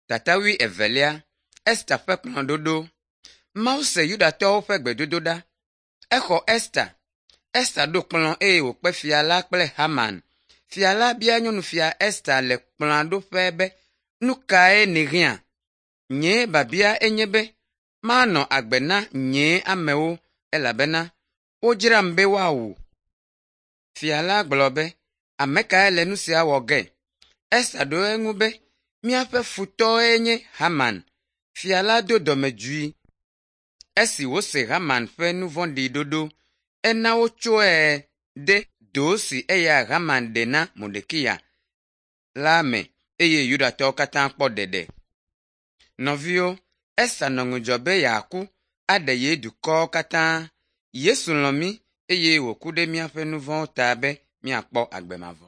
Tata wuievelia, Esta ƒe kplɔ̃ɖoɖo. Mawu se Yudatɔwo ƒe gbedodoɖa. Exɔ Esta. Esta ɖo kplɔ̃ eye wòkpe fia la kple Haman. Fia la bia nyɔnufia Esta le kplɔ̃a ɖoƒe be, “Nu kae nèhiã?” Nye biabia enye be, manɔ agbe na nye amewo elabena wodzram be woawu. Fia la gblɔ be, “Ame kae le nu sia wɔ ge?” Esta ɖo eŋu be, “Míaƒe futɔe nye Haman.” Fia la do dɔmedzoe esi wòse Haman ƒe nu vɔ̃ɖi ɖoɖo. Ena wotsɔe de do si eya Haman ɖe na Mordekai la me eye Yudatɔwo katã kpɔ ɖeɖe. Nɔviwo, Esta nɔ ŋudzɔ be yeaku aɖe ye dukɔwo katã. Yesu lɔ̃ mí eye wòku ɖe míaƒe nu vɔ̃wo ta be míakpɔ agbe mavɔ.